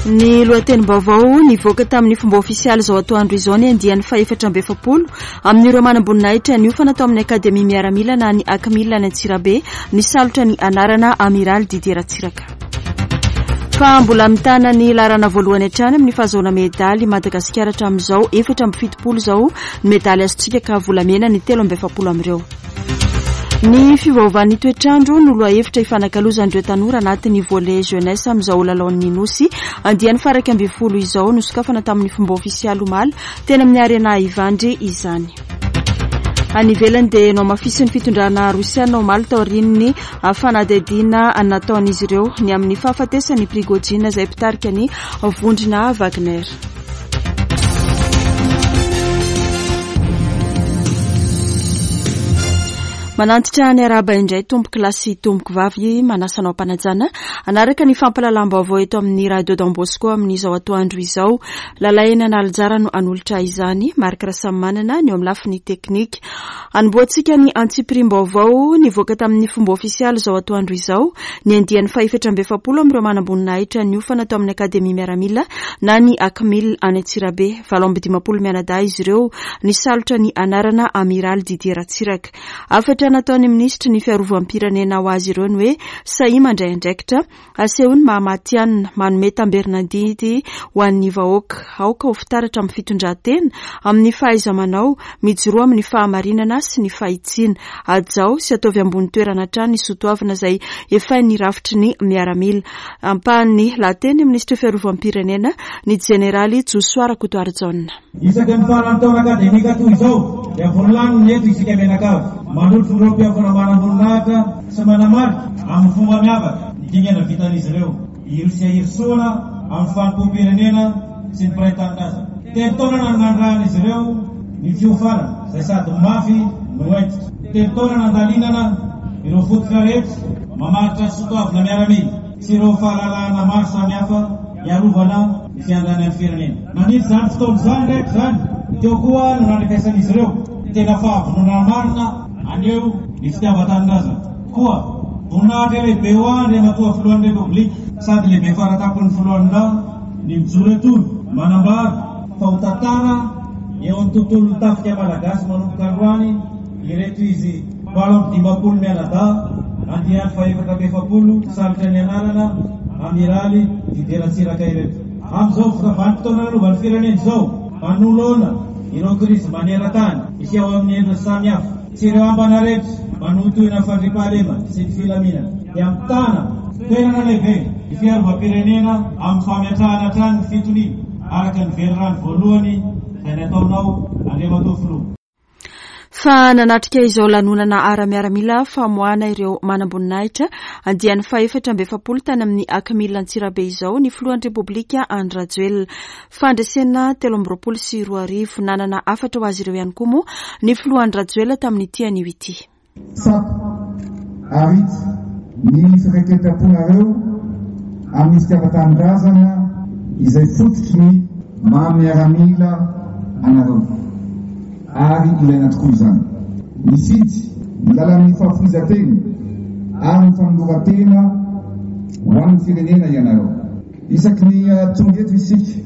Ny lohatenim-baovao nivoaka tamin'ny fomba ofisialy izao atoandro izao ny andiany faha-44 amin'ireo manamboninahitra niofana tao amin'ny Akademia Miaramila na ny Acmil any Antsirabe nisalotra ny anarana Amiraly Didier Ratsiraka. Fa mbola mitana ny laharana voalohany hatrany amin'ny fahazoana medaly i Madagasikara hatramin'izao, 74 izao ny medaly azontsika ka volamena ny 43 amin'ireo. Ny fiovaovan'ny toetr'andro no lohahevitra ifanakalozan'ireo tanora anatin'ny volley jeunesse amin'izao lalaon'ny Nosy andiany faha-11 izao. Nosokafana tamin'ny fomba ofisialy omaly teny amin'ny Arena Ivandry izany. Any ivelany dia nohamafisin'ny fitondrana rosiana omaly taorian'ny fanadihadiana nataon'izy ireo ny amin'ny fahafatesan'i Prigojine izay mpitarika ny vondrona Wagner. Manantitra ny arahaba indray tompoko lahy sy tompoko vavy manasa anao am-panajana hanaraka ny fampahalalam-baovao eto amin'ny Radio Don Bosco amin'izao atoandro izao. Lalaina Analijara no hanolotra izany, Marc Rasamimanana ny eo amin'ny lafiny teknika. Hanombohantsika ny antsipiriam-baovao nivoaka tamin'ny fomba ofisialy izao atoandro izao ny andiany faha-44 amin'ireo manamboninahitra niofana tao amin'ny Akademia Miaramila na ny Acmil any Antsirabe. 58 mianadahy izy ireo nisalotra ny anarana Amiraly Didier Ratsiraka. Hafatra nataon'ny minisitry ny fiarovam-pirenena ho azy ireo ny hoe sahia mandray andraikitra Asehoy ny maha matihanina, manome tamberin'adidy ho an'ny vahoaka. Aoka ho fitaratra amin'ny fitondran-tena, amin'ny fahaiza-manao, mijoroa amin'ny fahamarinana sy ny fahitsiana. Hajao sy ataovy ambony toerana hatrany ny soatoavina izay efain'ny rafitry ny miaramila. Ampahan'ny lahateny minisitry fiarovam-pirenena, ny jeneraly Josoa Rakotoarijaona. Isaky ny faran'ny taona akademika toy izao dia volanina eto isika mianakavy, manotrona ireo mpiofana manamboninahitra sy manamarika amin'ny fomba miavaka ny dingana vitan'izy ireo, hirosia hirosoana amin'ny fanompoam-pirenena sy ny mpiray tanindrazana. Telo taona nanandrahan'izy ireo ny fiofanana izay sady mafy no hentitra. Telo taona nandalinana ireo fototra rehetra mamaritra ny soatoavina miaramila sy ireo fahalalahana maro samihafa hiarovana ny fiandanian'ny firenena. Nandritra izany fotoana izany rehetra izany, teo koa no nandrefesan'izy ireo ny tena fahavononana marina haneho ny fitiavan-tanindrazana. Koa, voninahitra lehibe ho ahy Andriamatoa Filohan'ny Repoblika sady lehibe faratampon'ny Foloalindahy ny mijoro etoana manambara fa ho tantara eo amin'ny tontolon'ny tafika malagasy manomboka androany Ireto izy 58 mianadahy, andiany faha-44, salotra ny anarana Amiraly Didier Ratsiraka ireto. Amin'izao vanim-potoana lalovan'ny firenena izao, manoloana ireo krizy maneran-tany miseho amin'ny endriny samihafa sy ireo ambana rehetra manohintohina ny fandriampahalemana sy ny filaminana, dia mitana toerana lehibe ny fiarovam-pirenena amin'ny fametrahana hatrany ny fitoniana araka ny velirano voalohany izay nataonao Andriamatoa Filoha. Fa nanatrika izao lanonana ara-miaramila famoahana ireo manamboninahitra andiany faha-44 tany amin'ny Acmil Antsirabe izao ny filohan'ny Repoblika Andry Rajoelina. Fandresena 2023. Nanana hafatra ho azy ireo ihany koa moa ny filoha Andry Rajoelina tamin'ity anio ity. Tsapa ary hita ny firaiketam-ponareo amin'ny fitiavan-tanindrazana izay fototry ny maha miaramila anareo, ary ilaina tokoa izany. Nifidy ny lalan'ny fahafoizan-tena ary ny fanoloran-tena ho an'ny firenena ianareo. Isaky ny tonga eto isika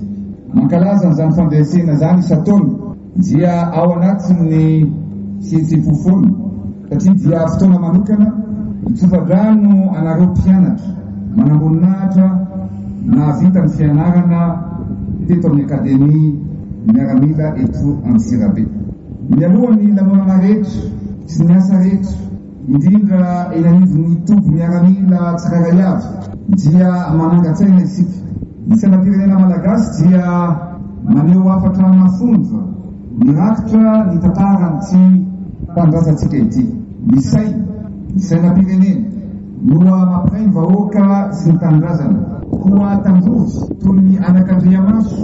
mankalaza an'izany fandresena izany isan-taona dia ao anatin'ny fihetseham-po foana satria dia fotoana manokana hitsofa-drano anareo mpianatra manamboninahitra nahavita ny fianarana teto amin'ny Akademia Miaramila eto Antsirabe. Mialoha ny lanonana rehetra sy ny asa rehetra indrindra eny anivon'ny toby miaramila tsirairay avy dia manangan-tsaina isika. Ny sainam-pirenena malagasy dia maneho hafatra mafonja mirakitra ny tantaran'ity tanindrazantsika ity. Ny saina, ny sainam-pirenena, no mampiray ny vahoaka sy ny tanindrazana. Koa tandrovy toy ny anakandriamaso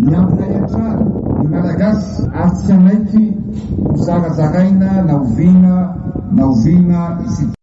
ny hampiray hatrany ny Malagasy ary tsy hanaiky ho zarazaraina na oviana na oviana isika.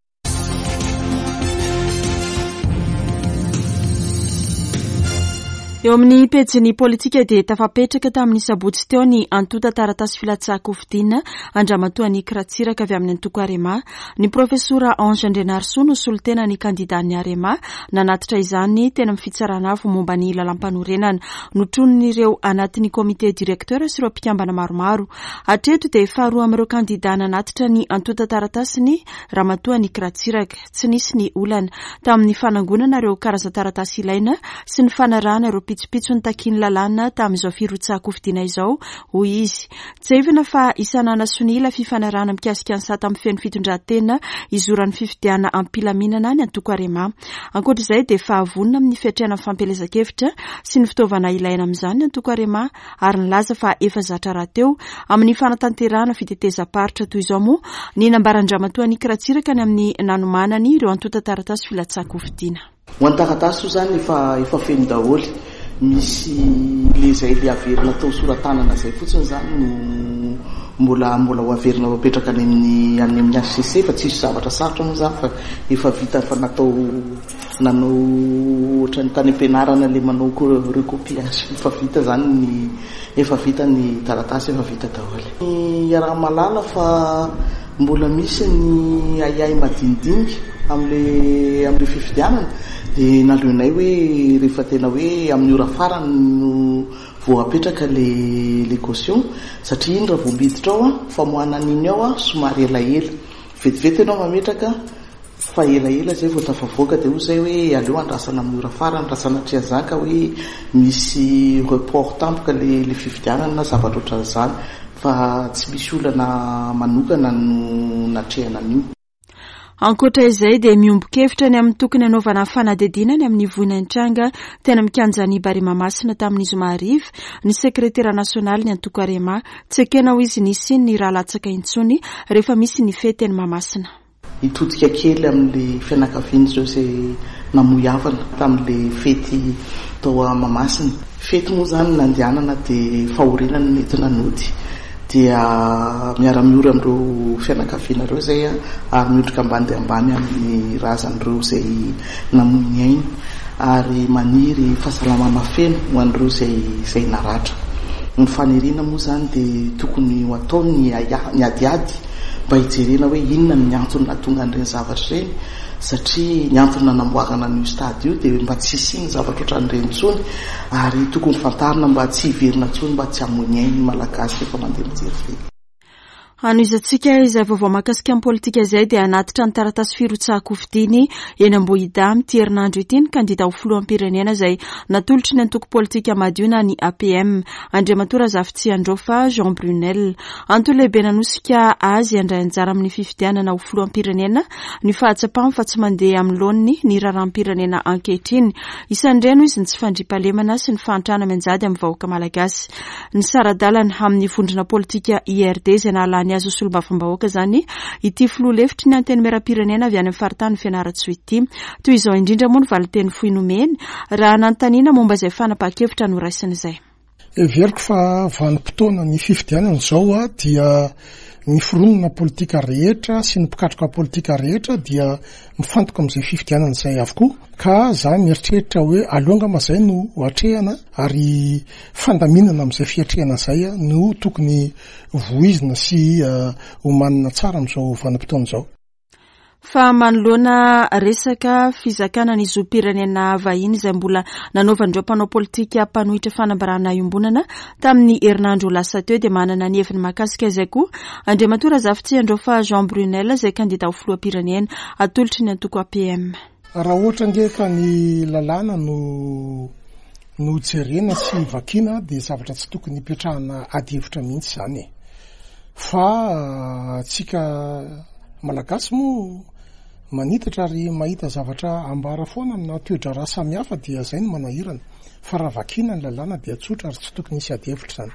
Eo amin'ny pejin'ny politika dia tafapetraka tamin'ny sabotsy teo ny antontan-taratasy filatsahan-kofidina an-dRamatoa Annick Ratsiraka avy amin'ny antoko Arema. Ny Profesora Ange Andrianarisoa no solontena ny kandidan'ny Arema nanatitra izany teny amin'ny Fitsarana Avo momba ny Lalàmpanorenana. Notronin'ireo anatin'ny Comité Directeur sy ireo mpikambana maromaro. Hatreto dia faharoa amin'ireo kandida nanatitra ny antontan-taratasiny Ramatoa Annick Ratsiraka. Tsy nisy ny olana tamin'ny fanangonana ireo karazan-taratasy ilaina sy ny fanarahana ireo pitsopitsony takian'ny lalàna tamin'izao firotsahan-kofidina izao, hoy izy. Tsiahivina fa isan'ana sonia ilay fifanarahana mikasika ny sata mifehy ny fitondran-tena hizoran'ny fifidianana am-pilaminana ny antoko Arema. Ankoatra izay dia efa vonona amin'ny fiatrehana ny fampielezan-kevitra sy ny fitaovana ilaina amin'izany ny antoko Arema ary nilaza fa efa zatra rahateo amin'ny fanatanterahana fitetezam-paritra toy izao moa ny nambaran-dRamatoa Annick Ratsiraka ny amin'ny nanomanany ireo antontan-taratasy filatsahan-kofidina. Ho an'ny taratasy io izany efa efa feno daholo, misy le izay le averina atao sora-tanana izay fotsiny izany no mbola mbola ho averina ho apetraka any amin'ny any amin'ny HCC fa tsisy zavatra sarotra moa izany fa efa vita efa natao Nanao ohatran'ny tany am-pianarana ilay manao recopiage efa vita izany ny efa vita ny taratasy efa vita daholo. Iaraha-mahalala fa mbola misy ny ahiahy madinidinika amin'ilay amin'ilay fifidianana dia naleonay hoe rehefa tena hoe amin'ny ora farany no vao apetraka ilay ilay caution satria iny raha vao miditra ao famoahana an'iny ao somary elaela vetivety ianao mametraka Fa elaela zay vao tafavoaka dia hoy zay hoe aleo andrasana amin'ny ora farany raha sanatria zany ka hoe misy report tampoka le le fifidianana na zavatra ohatran'izany fa tsy misy olana manokana no natrehana an'io. Ankoatra izay dia miombon-kevitra ny amin'ny tokony hanaovana fanadihadiana ny amin'ny voina nitranga teny amin'ny kianjan'i Barea Mahamasina tamin'ny zoma hariva ny sekretera nasionalin'ny antoko Arema. Tsy ekena hoy izy ny hisian'ny ra latsaka intsony rehefa misy ny fety eny Mahamasina. Hitodika kely amin'ilay fianakaviana ireo izay namoy havana tamin'ilay fety tao Mahamasina. Fety moa izany nandehanana dia fahoriana no nentina nody. Dia miara-miory amin'ireo fianakaviana ireo izay ary miondrika ambany dia ambany amin'ny razan'ireo izay namoy ny ainy ary maniry fahasalamana feno ho an'ireo izay izay naratra. Ny faniriana moa izany dia tokony ho atao ny ny adiady mba hijerena hoe inona ny antony nahatonga an'ireny zavatra ireny satria ny antony nanamboarana an'io stade io dia mba tsy hisian'ny zavatra ohatran'ireny intsony ary tokony fantarina mba tsy hiverina intsony mba tsy hamoy ny ainy ny Malagasy rehefa mandeha mijery fety. Hanohizantsika izay vaovao mahakasika ny politika izay dia hanatitra ny taratasy firotsahan-kofidiny eny Ambohidahy amin'ity herinandro ity ny kandida ho filoham-pirenena izay natolotry ny antoko politika Madio na ny APM, Andriamatoa Razafitsiandraofa Jean Brunel. Antony lehibe nanosika azy handray anjara amin'ny fifidianana ho filoham-pirenena ny fahatsapany fa tsy mandeha amin'ny laoniny ny raharaham-pirenena ankehitriny. Isan'ireny hoy izy ny tsy fandriampahalemana sy ny fahantrana mianjady amin'ny vahoaka malagasy. Nisara-dalana amin'ny vondrona politika IRD izay nahalany azy ho solombavambahoaka izany ity filoha lefitry ny Antenimierampirenena avy any amin'ny faritanin'i Fianarantsoa ity. Toy izao indrindra moa ny valinteny fohy nomeny raha nanontaniana momba izay fanapahan-kevitra noraisiny izay. Heveriko fa vanim-potoana ny fifidianana izao dia ny fironana politika rehetra sy ny mpikatroka politika rehetra dia mifantoka amin'izay fifidianana izay avokoa ka za mieritreritra hoe aleo angamba izay no atrehana ary fandaminana amin'izay fiatrehana izay no tokony voizina sy omanina tsara amin'izao vanim-potoana izao. Fa manoloana resaka fizakana ny zom-pirenena vahiny izay mbola nanaovan'ireo mpanao politika mpanohitra fanambarana iombonana tamin'ny herinandro lasa teo dia manana ny heviny mahakasika izay koa Andriamatoa Razafitsiandraofa Jean Brunel izay kandida ho filoham-pirenena atolotry ny antoko APM. Raha ohatra ange ka ny lalàna no no jerena sy vakiana dia zavatra tsy tokony hipetrahana adihevitra mihitsy izany e. Fa antsika Malagasy moa manitatra ary mahita zavatra ambara foana amina toe-draharaha samihafa dia izay no manahirana. Fa raha vakiana ny lalàna dia tsotra ary tsy tokony hisy adihevitra izany.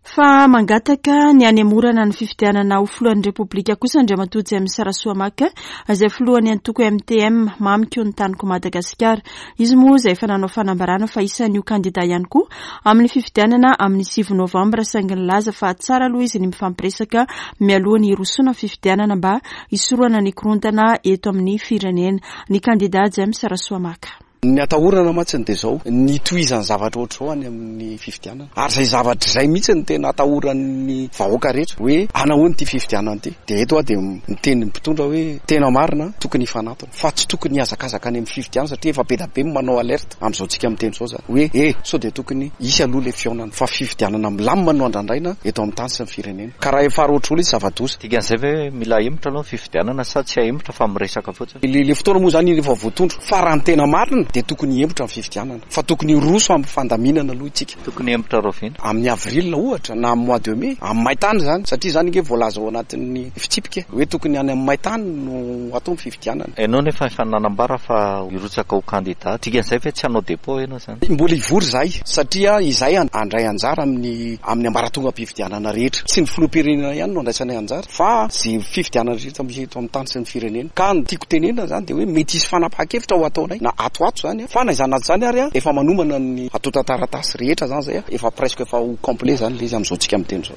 Fa mangataka ny hanemorana ny fifidianana ho filohan'ny Repoblika kosa Andriamatoa James Rasoamaka izay filohan'ny antoko MTM, Mamiko ny Taniko Madagasikara. Izy moa izay efa nanao fanambarana fa isan'ny ho kandida ihany koa amin'ny fifidianana amin'ny 9 novambra saingy nilaza fa tsara aloha izy ny mifampiresaka mialoha ny hirosoana amin'ny fifidianana mba hisorohana ny korontana eto amin'ny firenena. Ny kandida James Rasoamaka. Ny atahorana mantsiny dia izao, ny hitohizan'ny zavatra ohatr'izao any amin'ny fifidianana. Ary izay zavatra izay mihitsy no tena atahoran'ny vahoaka rehetra hoe hanahoana ity fifidianana ity. Dia eto aho dia miteny ny mpitondra hoe tena marina tokony hifanatona fa tsy tokony hihazakazaka any amin'ny fifidianana satria efa be dia be ny manao alerte amin'izao tsika miteny izao izany hoe eh sao dia tokony hisy aloha ilay fihaonana fa fifidianana milamina no andrandraina eto amin'ny tany sy ny firenena. Ka raha efa roatr'olo izy zava-doza. Dikan'izay ve hoe mila ahemotra aloha ny fifidianana sa tsy ahemotra fa miresaka fotsiny? Ilay fotoana moa izany efa voatondro fa raha ny tena marina dia tokony hihemotra ny fifidianana fa tokony hiroso amin'ny fandaminana aloha isika. Tokony hihemotra rahoviana? Amin'ny avril ohatra na amin'ny mois de mai, amin'ny maintany izany satria izany ange voalaza ao anatin'ny fitsipika hoe tokony any amin'ny maintany no atao ny fifidianana. Ianao nefa efa nanambara fa hirotsaka ho kandida, dikan'izay ve tsy hanao depot ianao izany? Mbola hivory izahay satria izahay handray anjara amin'ny amin'ny ambaratongam-pifidianana rehetra. Tsy ny filoham-pirenena ihany no andraisanay anjara fa izay fifidianana rehetra misy eto amin'ny tany sy ny firenena. Ka ny tiako tenenina izany dia hoe mety hisy fanapahan-kevitra ho ataonay na ato ho ato izany fa na izany na tsy izany ary efa manomana ny antontan-taratasy rehetra izany izay efa presque efa ho complet izany ilay izy amin'izao tsika miteny izao.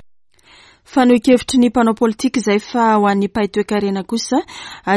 Fanohin-kevitry ny mpanao politika izay fa ho an'ny mpahay toekarena kosa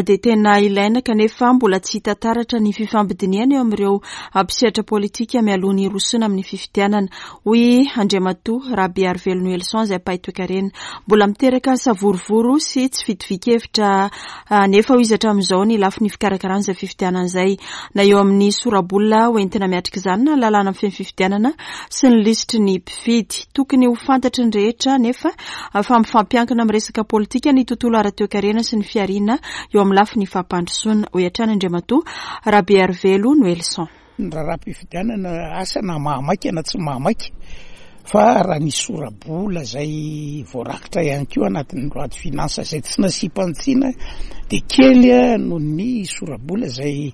dia tena ilaina kanefa mbola tsy hita taratra ny fifampidinihana eo amin'ireo mpisehatra politika mialoha ny hirosoana amin'ny fifidianana, hoy Andriamatoa Rabearivelo Noelson izay mpahay toekarena. Mbola miteraka savorovoro sy tsy fitovian-kevitra anefa hoy izy hatramin'izao ny lafiny fikarakarana izay fifidianana izay na eo amin'ny sora-bola hoentina miatrika izany na lalàna mifehy ny fifidianana sy ny lisitry ny mpifidy. Tokony ho fantatry ny rehetra anefa fa mifampiankina amin'ny resaka politika ny tontolo ara-toekarena sy ny fihariana eo amin'ny lafiny fampandrosoana, hoy hatrany Andriamatoa Rabearivelo Noelson. Ny raharaham-pifidianana asa na mahamaika na tsy mahamaika fa raha ny sora-bola izay voarakitra ihany koa anatin'ny loi de finance izay tsy nasiam-panitsiana dia kely noho ny sora-bola izay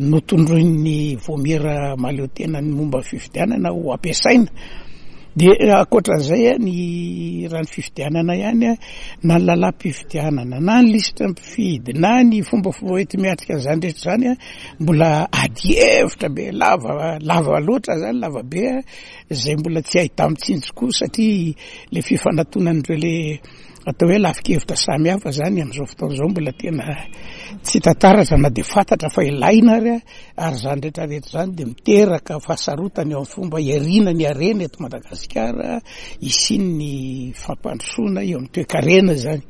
notondroin'ny vaomiera mahaleo tena ny momba ny fifidianana ho ampiasaina. Dia ankoatran'izay ny raha ny fifidianana ihany na ny lalam-pifidianana na ny lisitra mpifidy na ny fombafomba hoenti-miatrika an'izany rehetra izany mbola ady hevitra be lava lava loatra zany lava be izay mbola tsy ahita-mitsinjo koa satria le fifanatonan'ireo le atao hoe lafin-kevitra samy hafa zany amin'izao fotoana izao mbola tena tsy hita taratra na dia fantatra fa ilaina ary ary izany rehetra rehetra izany dia miteraka fahasarotana eo amin'ny fomba hiariana ny harena eto Madagasikara hisian'ny fampandrosoana eo amin'ny toekarena izany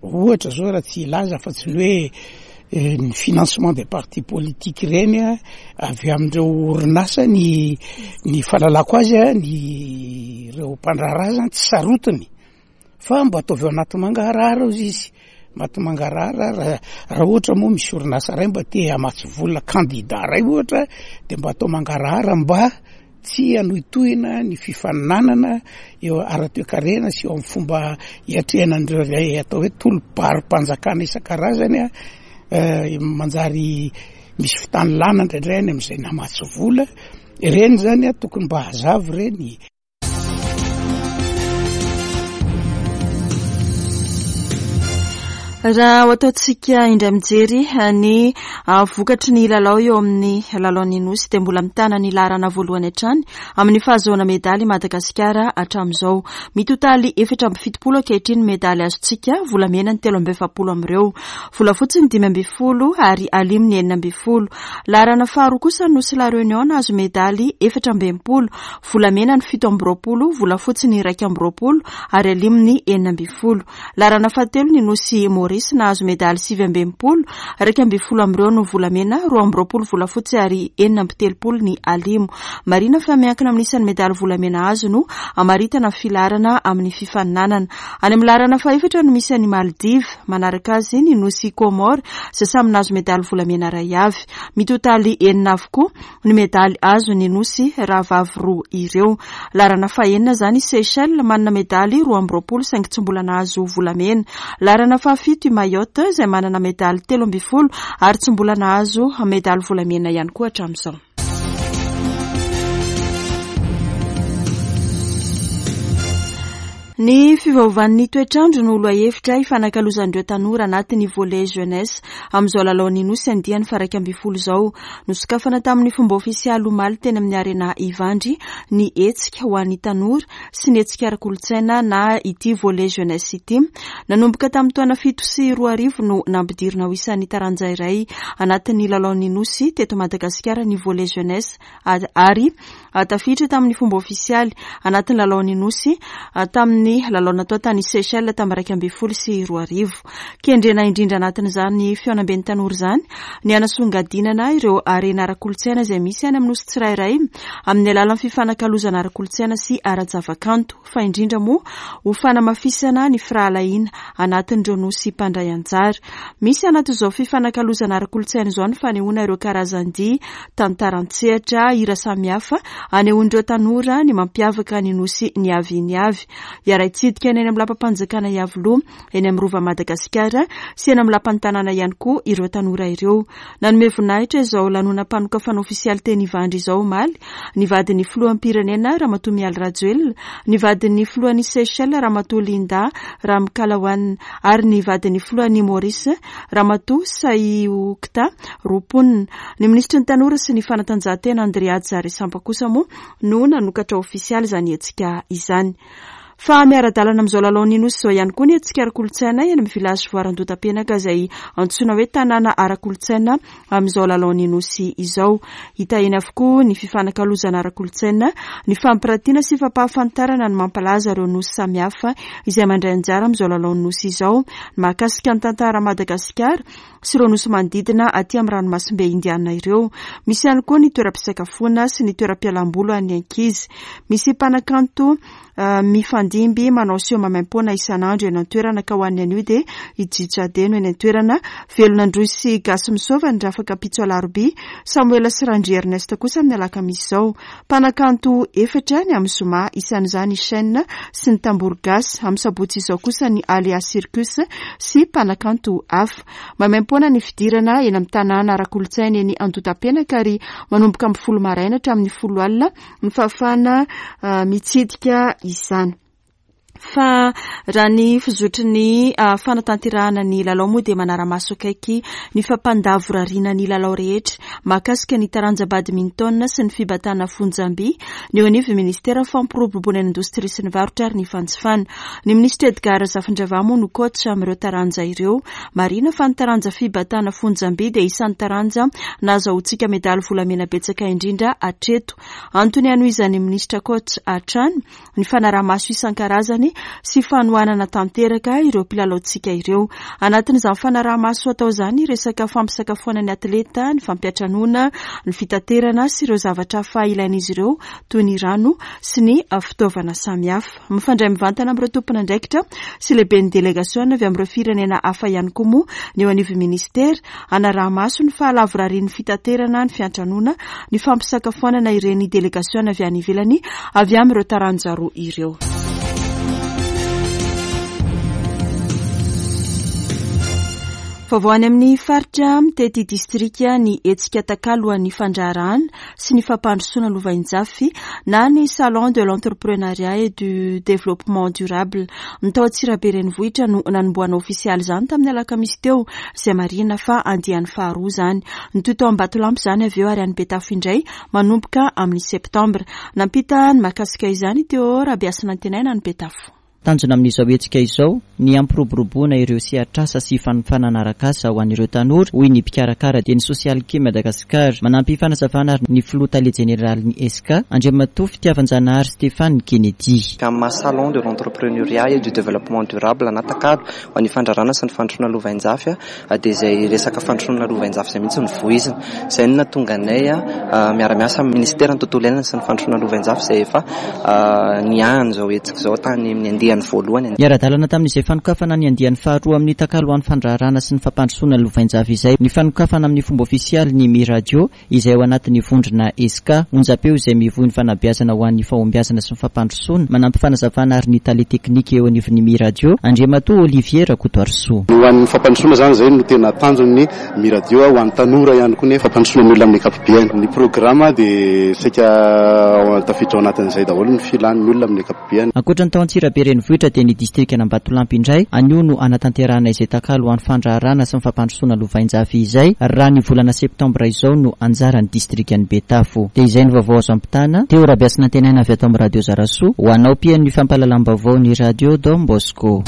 ohatra zao raha tsy hilaza fa tsy ny hoe ny financement des partis politiques ireny avy amin'ireo orinasa ny ny fahalalako azy ny ireo mpandraharaha zany tsy sarotiny fa mba ataovy ao anaty mangarahara ozy izy anaty mangarahara raha raha ohatra moa misy orinasa ray mba te hamatsy vola candidat ray ohatra de mba atao mangarahara mba tsy hanohitohina ny fifaninanana eo ara-toekarena sy eo amin'ny fomba hiatrehana an'ireo ilay atao hoe tolo-barom-panjakana isan-karazany eh, manjary misy fitanilana indraindray any amin'izay namatsy vola ireny zany a tokony mba hazava ireny Raha ho ataontsika indray mijery ny ah, vokatry ny lalao eo amin'ny lalaon'ny Nosy dia mbola mitana ny laharana voalohany hatrany amin'ny fahazoana medaly i Madagasikara hatramin'izao. Mitotaly 74 ankehitriny ny medaly azontsika, volamena ny 43 amin'ireo, volafotsy ny 15 ary alimo ny 16. Laharana faharoa kosa ny Nosy La Réunion nahazo medaly 64, volamena ny 27, volafotsy ny 21 ary alimo ny 16. Laharana fahatelo ny Nosy Maurice nahazo medaly 69, 11 amin'ireo no volamena, 22 volafotsy ary 36 ny alimo. Marihina fa miankina amin'ny isan'ny medaly volamena azo no hamaritana ny filaharana amin'ny fifaninanana. Any amin'ny laharana fahefatra no misy an'i Maldives, manaraka azy ny Nosy Comores izay samy nahazo medaly volamena iray avy. Mitotaly enina avokoa ny medaly azon'ny Nosy rahavavy roa ireo. Laharana fahenina izany i Seychelles, manana medaly 22 saingy tsy mbola nahazo volamena. Laharana fahafito i Mayotte izay manana medaly 13 ary tsy mbola nahazo medaly volamena ihany koa hatramin'izao. Ny fiovaovan'ny toetr'andro no lohahevitra ifanakalozan'ireo tanora anatin'ny Volley Jeunesse amin'izao lalaon'ny Nosy andiany faha-11 izao. Nosokafana tamin'ny fomba ofisialy omaly teny amin'ny Arena Ivandry ny hetsika ho an'ny tanora sy ny hetsika ara-kolontsaina na ity Volley Jeunesse ity. Nanomboka tamin'ny taona 2007 no nampidirina ho isan'ny taranja iray anatin'ny lalaon'ny Nosy teto Madagasikara ny Volley Jeunesse ary tafiditra tamin'ny fomba ofisialy anatin'ny lalaon'ny Nosy tamin'ny lalao natao tany Seychelles tamin'ny 2011. Kendrena indrindra anatin'izany fihaonamben'ny tanora izany ny hanasongadinana ireo harena ara-kolontsaina izay misy any amin'ny Nosy tsirairay amin'ny alalan'ny fifanakalozana ara-kolontsaina sy ara-javakanto. fa indrindra moa ho fanamafisana ny firahalahiana anatin'ireo nosy mpandray anjara. Misy anatin'izao fifanakalozana ara-kolontsaina izao ny fanehoana ireo karazan-dihy, tantara an-tsehatra, hira samihafa anehoan'ireo tanora ny mampiavaka ny nosy niaviany avy. Hiara-hitsidika ny eny amin'ny lapam-panjakana Iavoloha, eny amin'ny Rova Madagasikara sy eny amin'ny lapan'ny tanàna ihany koa ireo tanora ireo. Nanome voninahitra izao lanonam-panokafana ofisialy teny Ivandry izao omaly ny vadin'ny filoham-pirenena Ramatoa Mialy Rajoelina, ny vadin'ny filohan'i Seychelles Ramatoa Linda Ramkalawan ary ny vadin'ny filohan'i Maurice Ramatoa Saiokta Roopun. Ny minisitry ny tanora sy ny fanatanjahantena Andrea Jarisampa kosa moa no nanokatra ofisialy izany hetsika izany. Fa miara-dalana amin'izao lalaon'ny Nosy izao ihany koa ny hetsika ara-kolontsaina eny amin'ny Village Voara Andotapenaka izay antsoina hoe tanàna ara-kolontsaina amin'izao lalaon'ny Nosy izao. Hita eny avokoa ny fifanakalozana ara-kolontsaina, ny fampiratiana sy fampahafantarana ny mampalaza ireo Nosy samihafa izay mandray anjara amin'izao lalaon'ny Nosy izao, ny mahakasika ny tantara Madagasikara sy ireo Nosy manodidina aty amin'ny ranomasimbe Indiana ireo. Misy ihany koa ny toeram-pisakafoana sy ny toeram-pialamboly ho an'ny ankizy. Misy mpanakanto Mifandimby manao seho maimaimpoana isan'andro eny an-toerana ka ho an'ny anio dia i Jijade no eny an-toerana. Velona Androy sy Gasy Misaova ny rafakapitso alarobia, Samoela sy Randria Ernest kosa amin'ny alakamisy izao. Mpanakanto efatra ny amin'ny zoma, isan'izany i Shyn sy ny Tambour Gasy. Amin'ny sabotsy izao kosa ny Alea Circus sy mpanakanto hafa. Maimaimpoana ny fidirana eny amin'ny tanàna ara-kolontsaina eny Andotapenaka ary manomboka amin'ny folo maraina hatramin'ny folo alina ny fahafahana mitsidika izany. Fa raha ny fizotry ny fanatanterahana ny lalao moa dia manara-maso akaiky ny fampandavorariana ny lalao rehetra mahakasika ny taranja badminton sy ny fibatana fonjamby ny eo anivon'ny minisitera fampiroboroboana ny indostria sy ny varotra ary ny fanjifana. Ny minisitra Edgard Razafindravahy moa no coach amin'ireo taranja ireo. Marihina fa ny taranja fibatana fonjamby dia isan'ny taranja nahazahoantsika medaly volamena betsaka indrindra hatreto. Antony hanohizan'ny minisitra coach hatrany ny fanaraha-maso isan-karazany sy fanohanana tanteraka ireo mpilalaontsika ireo. Anatin'izany fanaraha-maso atao izany resaka fampisakafoana ny atleta, ny fampiantranoana, ny fitaterana sy ireo zavatra hafa ilain'izy ireo toy ny rano sy ny fitaovana samihafa. Mifandray mivantana amin'ireo tompon'andraikitra sy lehiben'ny delegasiona avy amin'ireo firenena hafa ihany koa moa ny eo anivon'ny minisitera, hanaraha-maso ny fahalavorarian'ny fitaterana, ny fiantranoana, ny fampisakafoanana ireny delegasiona avy any ivelany avy amin'ireo taranja roa ireo. Vaovao any amin'ny faritra mitety distrika ny hetsika takalo ho an'ny fandraharahana sy ny fampandrosoana lovainjafy na ny Salon de l'entrepreneuriat et du développement durable. Ny tao Antsirabe renivohitra no nanombohana ofisialy izany tamin'ny alakamisy teo, izay marihina fa andiany faharoa izany. Nitohy tao Ambatolampy izany avy eo ary any Betafo indray manomboka amin'ny septambra. Nampita ny mahakasika izany i Théo Rabehasinantenaina any Betafo. Tanjona amin'izao hetsika izao ny hampiroboroboana ireo sehatr'asa sy fanofanana arak'asa ho an'ireo tanora, hoy ny mpikarakara dia ny Socialke Madagascar. Manampy fanazavana ary ny filoha tale jeneralin'ny ESCA, Andriamatoa Fitiavanjanahary Stéphane Kennedy. Amin'ny maha Salon de l'entrepreneuriat et du développement durable na takalo ho an'ny fandrarana sy ny fandrosoana lovainjafy dia izay resaka fandrosoana lovainjafy izay mihitsy no voizina. Izay no nahatonga anay miara-miasa amin'ny Minisiteran'ny Tontolo Iainana sy ny Fandrosoana Lovainjafy izay efa niahy an'izao hetsika izao tany amin'ny andiany voalohany. Niara-dalana tamin'izay fanokafana ny andiany faharoa amin'ny takalo ho an'ny fandraharahana sy ny fampandrosoana lovainjafy izay ny fanokafana amin'ny fomba ofisialy ny Mi Radio izay ao anatin'ny vondrona ESCA, onjam-peo izay mivoy ny fanabeazana ho an'ny fahombiazana sy ny fampandrosoana, manampy fanazavana ary ny tale teknika eo anivon'ny Mi Radio, Andriamatoa Olivier Rakotoarisoa. Ho an'ny fampandrosoana izany izay no tena tanjon'ny Mi Radio, ho an'ny tanora ihany koa nefa fampandrosoana ny olona amin'ny ankapobeny. Ny programme dia saika tafiditra ao anatin'izay daholo ny filan'ny olona amin'ny ankapobeny. Ankoatra ny tao Antsirabe renivohitra dia ny distrikan'Ambatolampy indray anio no hanatanterahana izay takalo ho an'ny fandraharahana sy ny fampandrosoana lovainjafy izay raha ny volana septambra izao no anjaran'ny distrikan'i Betafo. Dia izay ny vaovao azo ampitana. Teo Rabeasinantenaina avy ato amin'ny Radio Zarasoa ho anao mpihaino ny fampahalalam-baovao ny Radio Don Bosco.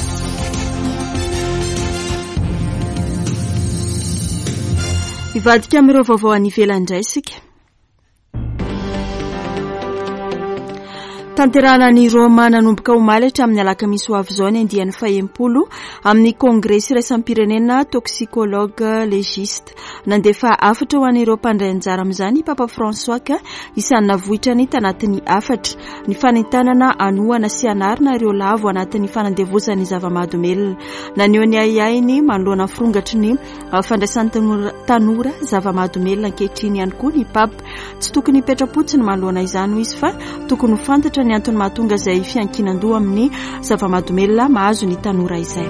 Hivadika amin'ireo vaovao any ivelany indray isika. Tanterahana any Roma nanomboka omaly hatramin'ny alakamisy ho avy izao ny andiany fahenimpolo amin'ny kongresy iraisam-pirenena toxicologue légiste. Nandefa hafatra ho an'ireo mpandray anjara amin'izany i Papa François ka isan'ny navoitrany tanatin'ny hafatra ny fanentanana hanohana sy hanarina ireo lavo anatin'ny fanandevozan'ny zava-mahadomelina. Naneho ny ahiahiny manoloana ny firongatry ny fandraisan'ny tanora zava-mahadomelina ankehitriny ihany koa ny Papa. Tsy tokony hipetra-potsiny manoloana izany hoy izy fa tokony ho fantatra ny antony mahatonga izay fiankinan-doha amin'ny zava-mahadomelina mahazo ny tanora izay.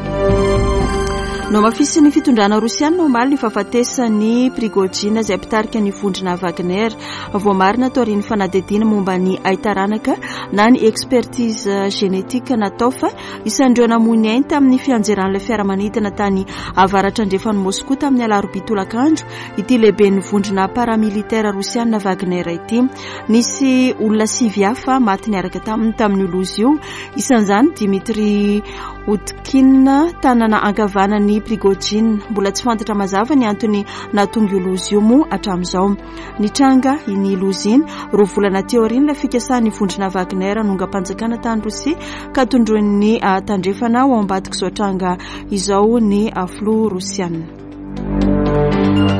Nohamafisin'ny fitondrana rosiana omaly ny fahafatesan'i Prigojine izay mpitarika ny vondrona Wagner. Voamarina taorian'ny fanadihadiana momba ny haitaranaka na ny expertise génétique natao fa Isan'ireo namoy ny ainy tamin'ny fianjeran'ilay fiaramanidina tany avaratra andrefan'i Moskoa tamin'ny alarobia tolakandro ity lehiben'ny vondrona paramilitera rosiana Wagner ity. Nisy olona sivy hafa maty niaraka taminy tamin'io loza io, isan'izany Dmitry Utkin, tanana ankavanan'i Prigojine. Mbola tsy fantatra mazava ny antony nahatonga io loza io moa hatramin'izao. Nitranga iny loza iny, roa volana aty aorian'ilay fikasan'ny vondrona Wagner hanongam-panjakana tany Rosia ka tondroin'ny tandrefana ho ao ambadik'izao tranga izao ny filoha rosiana.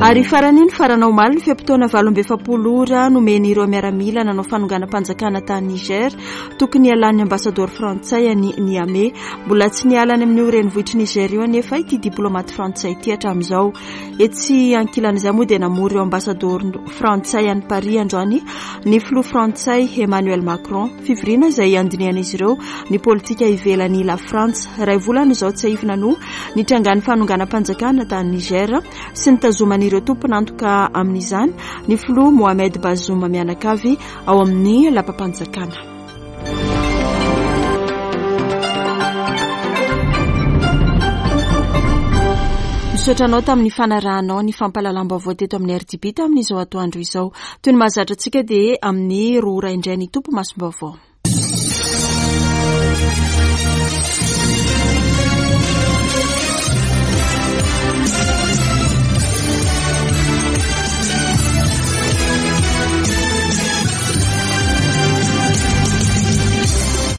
Ary farany nifarana omaly ny fe-potoana 48 ora nomen'ireo miaramila nanao fanonganam-panjakana tany Niger, tokony hialan'ny ambasadaoro frantsay any Niamey. Mbola tsy niala any amin'io renivohitr'i Niger io anefa ity diplaomaty frantsay ity hatramin'izao. Etsy ankilan'izay moa dia namory ireo ambasadaoro frantsay any Paris androany ny filoha frantsay Emmanuel Macron. Fivoriana izay handinihan'izy ireo ny politika ivelan'i La Frantsa. Iray volana izao tsiahivina no nitrangan'ny fanonganam-panjakana tany Niger sy nitazoman'ireo tompon'antoka amin'izany ny filoha Mohamed Bazoum mianakavy ao amin'ny lapam-panjakana. Misaotra anao tamin'ny fanarahanao ny fampahalalam-baovao teto amin'ny RDB tamin'izao atoandro izao. Toy ny mahazatra antsika dia amin'ny roa ora indray ny tompo masom-baovao.